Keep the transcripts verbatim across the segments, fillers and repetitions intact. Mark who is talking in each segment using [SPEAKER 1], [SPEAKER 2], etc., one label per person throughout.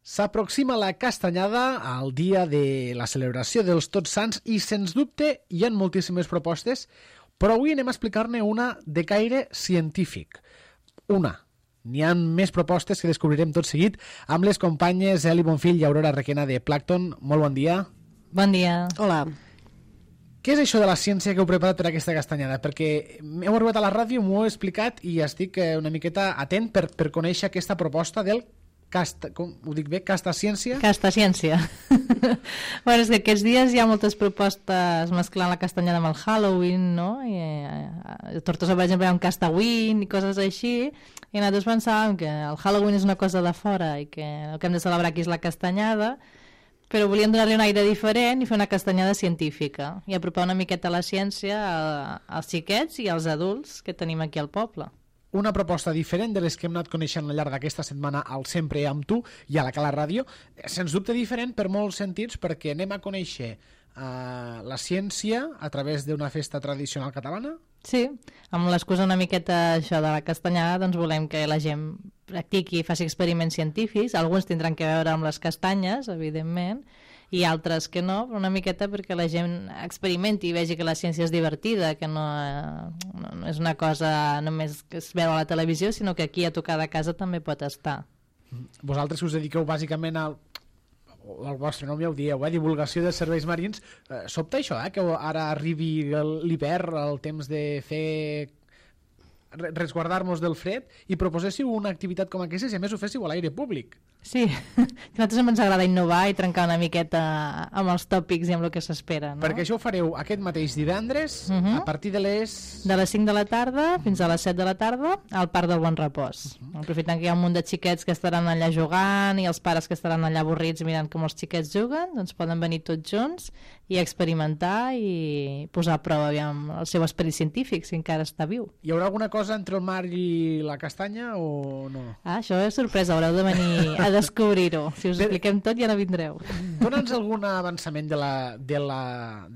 [SPEAKER 1] S'aproxima la castanyada al dia de la celebració dels Tots Sants i, sens dubte, hi ha moltíssimes propostes, però avui anem a explicar-ne una de caire científic. Una. N'hi ha més propostes que descobrirem tot seguit amb les companyes Eli Bonfill i Aurora Requena de Plankton. Molt bon dia.
[SPEAKER 2] Bon dia.
[SPEAKER 3] Hola.
[SPEAKER 1] Què és això de la ciència que heu preparat per aquesta castanyada? Perquè heu arribat a la ràdio, m'ho heu explicat i estic una miqueta atent per, per conèixer aquesta proposta del Casta, com ho dic bé? Casta ciència?
[SPEAKER 2] Casta ciència. Bueno, és que aquests dies hi ha moltes propostes mesclant la castanyada amb el Halloween, no? I, eh, a Tortosa, per exemple, hi ha un Castawin i coses així, i nosaltres pensàvem que el Halloween és una cosa de fora i que el que hem de celebrar aquí és la castanyada, però volíem donar-li un aire diferent i fer una castanyada científica i apropar una miqueta la ciència als xiquets i als adults que tenim aquí al poble.
[SPEAKER 1] Una proposta diferent de les que hem anat coneixent al llarg d'aquesta setmana al Sempre amb tu i a la Cala Ràdio, sens dubte diferent per molts sentits, perquè anem a conèixer uh, la ciència a través d'una festa tradicional catalana.
[SPEAKER 2] Sí, amb l'excusa una miqueta això de la castanyada, doncs volem que la gent practiqui i faci experiments científics. Alguns tindran que veure amb les castanyes, evidentment, i altres que no, però una miqueta perquè la gent experimenti i vegi que la ciència és divertida, que no, no, no és una cosa només que es veu a la televisió, sinó que aquí a tocar de casa també pot estar.
[SPEAKER 1] Vosaltres que us dediqueu bàsicament al, el vostre nom ja ho dieu, eh? Divulgació de serveis marins, eh, sobta això, eh? Que ara arribi l'hivern, el temps de fer resguardar-nos del fred i proposéssiu una activitat com aquesta i a més ho féssiu a l'aire públic.
[SPEAKER 2] Sí, a nosaltres ens agrada innovar i trencar una miqueta amb els tòpics i amb el que s'espera, no?
[SPEAKER 1] Perquè això ho fareu aquest mateix divendres, uh-huh. a partir de les...
[SPEAKER 2] De les cinc de la tarda fins a les set de la tarda al Parc del Bon Repòs. Uh-huh. Aprofitant que hi ha un munt de xiquets que estaran allà jugant i els pares que estaran allà avorrits mirant com els xiquets juguen, doncs poden venir tots junts i experimentar i posar a prova aviam, el seu esperit científic, si encara està viu.
[SPEAKER 1] Hi haurà alguna cosa entre el mar i la castanya o no?
[SPEAKER 2] Ah, això és sorpresa, haureu de venir a descobrir-ho. Si us
[SPEAKER 1] Però...
[SPEAKER 2] expliquem tot ja no vindreu.
[SPEAKER 1] Dóna'ns algun avançament de la, de la,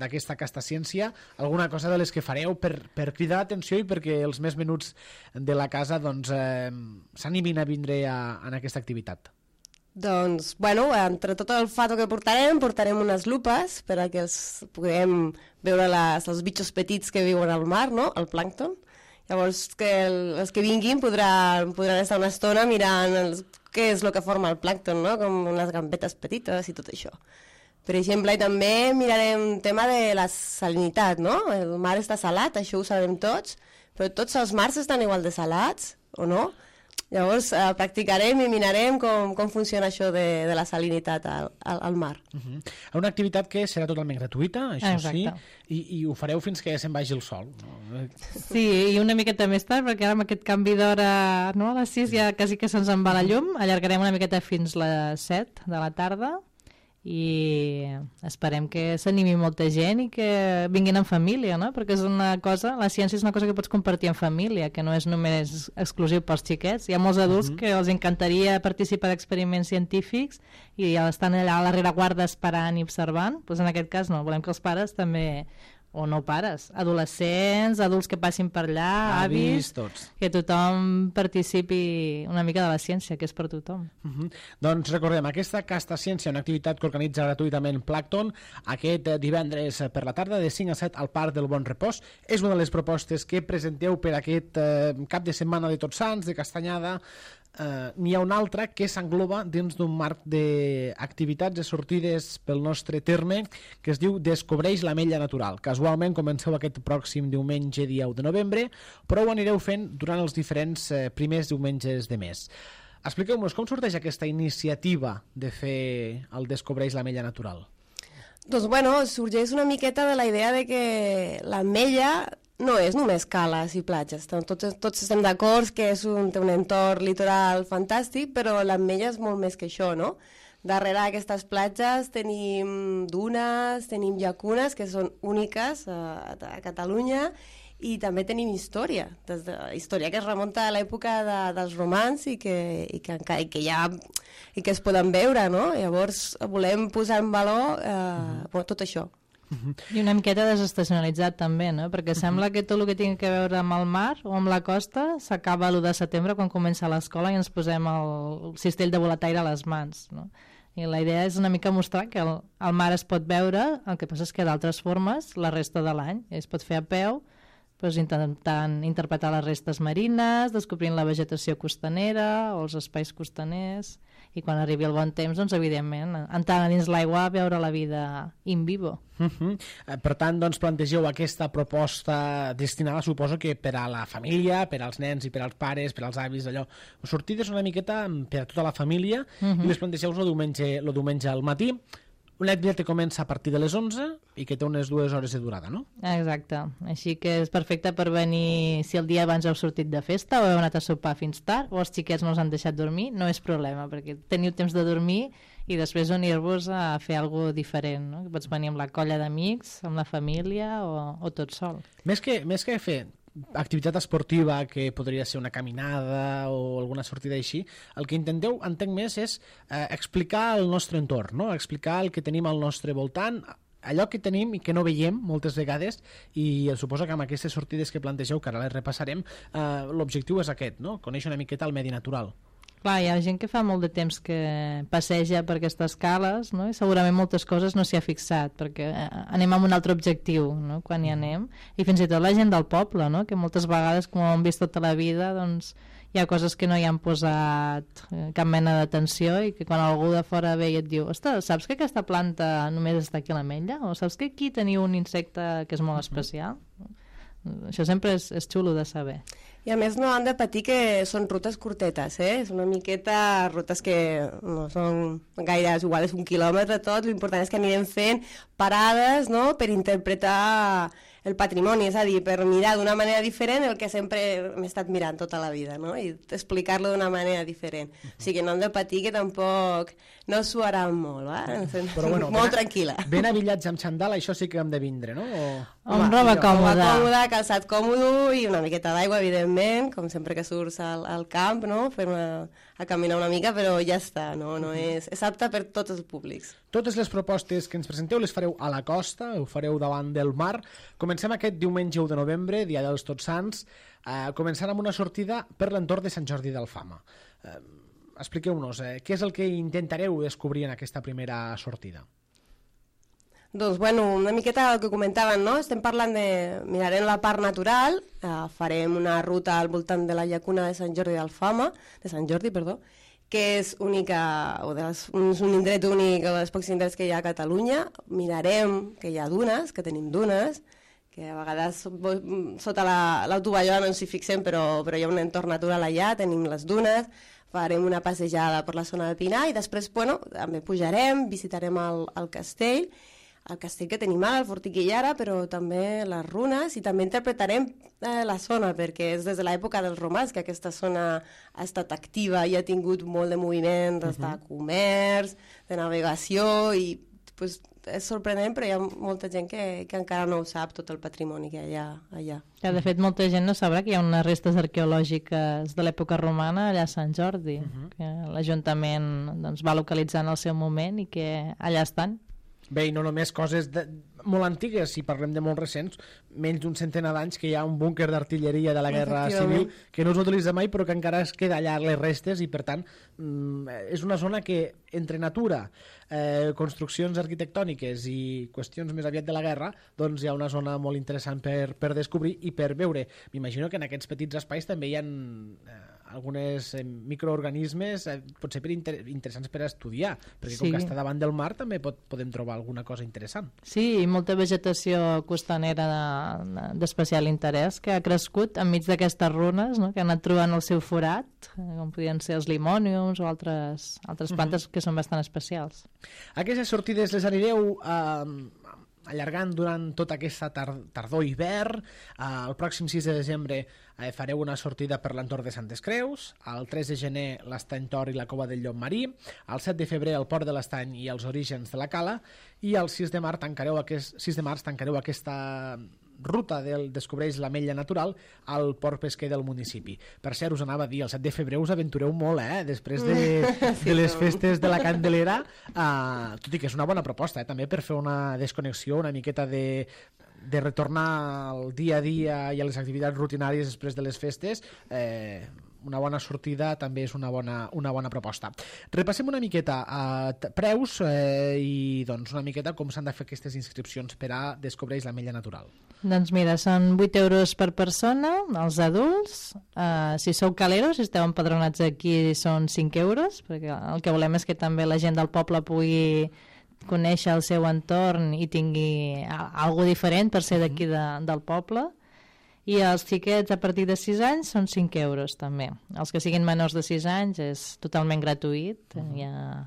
[SPEAKER 1] d'aquesta castaciència, alguna cosa de les que fareu per, per cridar l'atenció i perquè els més menuts de la casa doncs, eh, s'animin a vindre a, a aquesta activitat.
[SPEAKER 3] Doncs, bueno, entre tot el fato que portarem, portarem unes lupes per a que els puguem veure les, els bitxos petits que viuen al mar, no?, el plàncton. Llavors, que el, els que vinguin podran, podran estar una estona mirant els, què és el que forma el plàncton, no?, com unes gambetes petites i tot això. Per exemple, i també mirarem un tema de la salinitat, no? El mar està salat, això ho sabem tots, però tots els mars estan igual de salats, o no? Llavors, eh, practicarem i mirarem com, com funciona això de, de la salinitat al, al, al mar.
[SPEAKER 1] Uh-huh. Una activitat que serà totalment gratuïta, això
[SPEAKER 2] Exacte.
[SPEAKER 1] sí, i, i ho fareu fins que se'n vagi el sol. No?
[SPEAKER 2] Sí, i una miqueta més tard, perquè ara amb aquest canvi d'hora, no, a les sis ja quasi que se'ns en va la llum, allargarem una miqueta fins les set de la tarda i esperem que s'animi molta gent i que vinguin en família, no? Perquè és una cosa, la ciència és una cosa que pots compartir en família, que no és només exclusiu pels xiquets. Hi ha molts adults uh-huh. que els encantaria participar d'experiments científics i estan allà a la rereguarda esperant i observant. Doncs en aquest cas no, volem que els pares també, o no pares, adolescents, adults que passin per allà, avis,
[SPEAKER 1] avis tots.
[SPEAKER 2] Que tothom participi una mica de la ciència, que és per tothom.
[SPEAKER 1] Uh-huh. Doncs recordem, aquesta Casta Ciència, una activitat que organitza gratuïtament Plankton, aquest divendres per la tarda de cinc a set al Parc del Bon Repòs. És una de les propostes que presenteu per aquest eh, cap de setmana de Tots Sants, de castanyada. Uh, n'hi ha una altra que s'engloba dins d'un marc d'activitats i sortides pel nostre terme que es diu Descobreix l'Ametlla Natural. Casualment comenceu aquest pròxim diumenge dia u de novembre, però ho anireu fent durant els diferents eh, primers diumenges de mes. Expliqueu-nos com sorteix aquesta iniciativa de fer el Descobreix l'Ametlla Natural.
[SPEAKER 3] Doncs bueno, sorgeix una miqueta de la idea de que l'ametlla no és només cales i platges. Tots, tots estem d'acord que és un, té un entorn litoral fantàstic, però l'ametlla és molt més que això, no? Darrere d'aquestes platges tenim dunes, tenim llacunes que són úniques a, a Catalunya i també tenim història, des de, història que es remunta a l'època de, dels romans i que, i, que, i, que ja, i que es poden veure, no? Llavors volem posar en valor eh, mm. tot això.
[SPEAKER 2] I una miqueta desestacionalitzat també, no? Perquè sembla que tot el que tingui que veure amb el mar o amb la costa s'acaba l'u de setembre quan comença l'escola i ens posem el cistell de boletaire a les mans, no? I la idea és una mica mostrar que el, el mar es pot veure, el que passa és que d'altres formes la resta de l'any es pot fer a peu, doncs intentant interpretar les restes marines, descobrint la vegetació costanera o els espais costaners, i quan arribi el bon temps, doncs, evidentment, entrant dins l'aigua a veure la vida in vivo.
[SPEAKER 1] Uh -huh. Per tant, doncs, plantegeu aquesta proposta destinada, suposo que per a la família, per als nens i per als pares, per als avis, allò, sortides una miqueta per a tota la família, uh -huh. i les plantegeu el diumenge, el diumenge al matí. Una activitat que comença a partir de les onze i que té unes dues hores de durada, no?
[SPEAKER 2] Exacte. Així que és perfecte per venir, si el dia abans heu sortit de festa o heu anat a sopar fins tard, o els xiquets no us han deixat dormir, no és problema, perquè teniu temps de dormir i després unir-vos a fer alguna cosa diferent, no? Pots venir amb la colla d'amics, amb la família o, o tot sol.
[SPEAKER 1] Més que, més que fer activitat esportiva, que podria ser una caminada o alguna sortida així, el que intenteu, entenc més, és eh, explicar el nostre entorn, no? Explicar el que tenim al nostre voltant, allò que tenim i que no veiem moltes vegades, i suposo que amb aquestes sortides que plantegeu, que ara les repassarem, eh, l'objectiu és aquest, no? Conèixer una miqueta el medi natural.
[SPEAKER 2] Clar, hi ha gent que fa molt de temps que passeja per aquestes cales, no? I segurament moltes coses no s'hi ha fixat, perquè anem amb un altre objectiu, no? Quan hi anem, i fins i tot la gent del poble, no? Que moltes vegades, com ho hem vist tota la vida, doncs hi ha coses que no hi han posat cap mena d'atenció i que quan algú de fora ve i et diu, ostres, saps que aquesta planta només està aquí a l'Ametlla? O saps que aquí teniu un insecte que és molt especial? Això sempre és, és xulo de saber.
[SPEAKER 3] I a més no han de patir que són rutes curtetes, eh? És una miqueta rutes que no són gaire, igual és un quilòmetre tot, l'important és que anirem fent parades, no?, per interpretar el patrimoni, és a dir, per mirar d'una manera diferent el que sempre hem estat mirant tota la vida, no?, i explicar-lo d'una manera diferent. O sigui que no hem de patir, que tampoc no suaran molt, va? Però bueno, molt ben, tranquil·la.
[SPEAKER 1] Ben avillats amb xandall, això sí que hem de vindre, no? O...
[SPEAKER 2] Amb roba còmoda.
[SPEAKER 3] Roba còmoda, calçat còmodo i una miqueta d'aigua, evidentment, com sempre que surts al, al camp, no?, fer una, a caminar una mica, però ja està, no, no és, és apte per tots els públics.
[SPEAKER 1] Totes les propostes que ens presenteu les fareu a la costa, ho fareu davant del mar. Comencem aquest diumenge u de novembre, dia dels Tots Sants, eh, començant amb una sortida per l'entorn de Sant Jordi d'Alfama. Eh, expliqueu-nos, eh, què és el que intentareu descobrir en aquesta primera sortida?
[SPEAKER 3] Doncs, bueno, una miqueta el que comentaven, no? Estem parlant de... Mirarem la part natural, eh, farem una ruta al voltant de la llacuna de Sant Jordi d'Alfama, de Sant Jordi, perdó, que és única, o de les, és un indret únic, o dels pocs indrets que hi ha a Catalunya. Mirarem que hi ha dunes, que tenim dunes, que a vegades sota l'autovallada no ens hi fixem, però, però hi ha un entorn natural allà, tenim les dunes, farem una passejada per la zona de Pinar i després, bueno, també pujarem, visitarem el, el castell, el castell que tenim ara, el Fortí Illara, però també les runes, i també interpretarem eh, la zona, perquè és des de l'època dels romans que aquesta zona ha estat activa i ha tingut molt de moviment, des de comerç, de navegació, i pues, és sorprenent, però hi ha molta gent que, que encara no ho sap, tot el patrimoni que hi ha allà.
[SPEAKER 2] Ja, de fet, molta gent no sabrà que hi ha unes restes arqueològiques de l'època romana allà a Sant Jordi, uh -huh. que l'Ajuntament doncs, va localitzar en el seu moment i que allà estan.
[SPEAKER 1] Bé, i no només coses de, molt antigues, si parlem de molt recents, menys d'un centenar d'anys que hi ha un búnquer d'artilleria de la Guerra Civil que no s'utilitza mai però que encara es queda allà les restes, i per tant és una zona que entre natura, eh, construccions arquitectòniques i qüestions més aviat de la guerra, doncs hi ha una zona molt interessant per, per descobrir i per veure. M'imagino que en aquests petits espais també hi ha eh, algunes eh, microorganismes eh, potser per inter interessants per estudiar, perquè com sí. que està davant del mar també pot, podem trobar alguna cosa interessant.
[SPEAKER 2] Sí, i molta vegetació costanera d'especial de, interès que ha crescut enmig d'aquestes runes, no?, que han anat trobant el seu forat, com podien ser els limòniums o altres, altres plantes uh -huh. que són bastant especials.
[SPEAKER 1] Aquestes sortides les anireu eh, allargant durant tota aquesta tar tardor i hivern. Eh, el pròxim sis de desembre eh, fareu una sortida per l'entorn de Santes Creus, el tres de gener l'Estany Tor i la Cova del Llop Marí, el set de febrer el Port de l'Estany i els orígens de la Cala, i el sis de març tancareu, aquest, sis de març tancareu aquesta ruta del Descobreix l'Ametlla Natural al port pesquer del municipi. Per cert, us anava a dir, el set de febrer us aventureu molt, eh? Després de,
[SPEAKER 3] Sí,
[SPEAKER 1] de les
[SPEAKER 3] no.
[SPEAKER 1] festes de la Candelera, uh, tot i que és una bona proposta, eh? També per fer una desconnexió, una miqueta de, de retornar al dia a dia i a les activitats rutinàries després de les festes. eh, una bona sortida també és una bona, una bona proposta. Repassem una miqueta a uh, preus eh, i doncs una miqueta com s'han de fer aquestes inscripcions per a Descobreix l'Ametlla Natural.
[SPEAKER 2] Doncs mira, són vuit euros per persona, els adults. Uh, si sou caleros, si esteu empadronats aquí, són cinc euros, perquè el que volem és que també la gent del poble pugui conèixer el seu entorn i tingui alguna diferent per ser d'aquí de, del poble. I els xiquets a partir de sis anys són cinc euros també. Els que siguin menors de sis anys és totalment gratuït, uh-huh. ja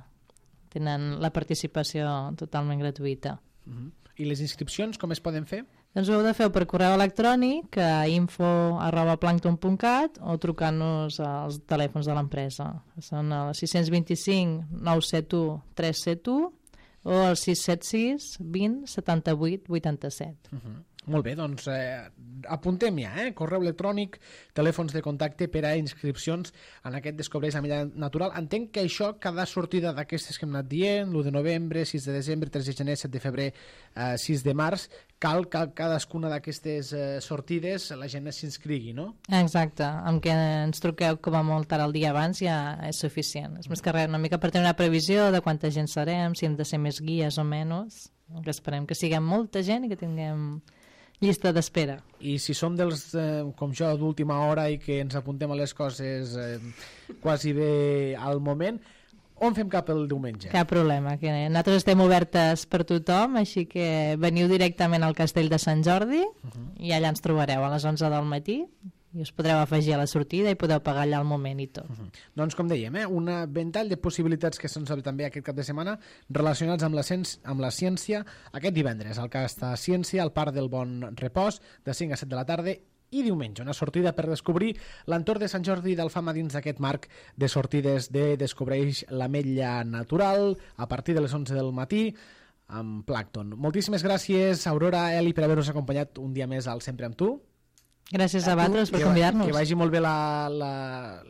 [SPEAKER 2] tenen la participació totalment gratuïta.
[SPEAKER 1] Uh-huh. I les inscripcions com es poden fer?
[SPEAKER 2] Doncs ho heu de fer per correu electrònic a info arroba plankton punt cat o trucant-nos als telèfons de l'empresa. Són el sis dos cinc nou set u tres set u o el sis set sis vint setanta-vuit vuitanta-set.
[SPEAKER 1] Uh-huh. Molt bé, doncs eh, apuntem ja, eh? Correu electrònic, telèfons de contacte per a inscripcions en aquest Descobreix l'Ametlla Natural. Entenc que això, cada sortida d'aquestes que hem anat dient, l'u de novembre, sis de desembre, tres de gener, set de febrer, eh, sis de març, cal que cadascuna d'aquestes eh, sortides la gent s'inscrigui, no?
[SPEAKER 2] Exacte, amb que ens truqueu com a molt tard el dia abans ja és suficient. És més que res, una mica per tenir una previsió de quanta gent serem, si hem de ser més guies o menys, que esperem que siguem molta gent i que tinguem llista d'espera.
[SPEAKER 1] I si som dels, eh, com jo, d'última hora i que ens apuntem a les coses eh, quasi bé al moment, on fem cap el diumenge?
[SPEAKER 2] Cap problema, que nosaltres estem obertes per tothom, així que veniu directament al Castell de Sant Jordi uh-huh. i allà ens trobareu a les onze del matí i us podreu afegir a la sortida i podeu pagar allà al moment i tot.
[SPEAKER 1] Uh-huh. Doncs com dèiem, eh, una ventall de possibilitats que se'ns obre també aquest cap de setmana relacionats amb la, amb la ciència aquest divendres al Casta Ciència al Parc del Bon Repòs de cinc a set de la tarda i diumenge, una sortida per descobrir l'entorn de Sant Jordi d'Alfama dins d'aquest marc de sortides de Descobreix l'Ametlla Natural a partir de les onze del matí amb Plankton. Moltíssimes gràcies, Aurora, Eli, per haver-nos acompanyat un dia més al Sempre amb tu.
[SPEAKER 2] Gràcies a vosaltres per convidar-nos.
[SPEAKER 1] Que vagi molt bé la, la,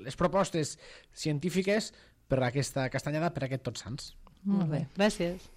[SPEAKER 1] les propostes científiques per aquesta castanyada, per aquest Tots Sants.
[SPEAKER 2] Molt bé, gràcies.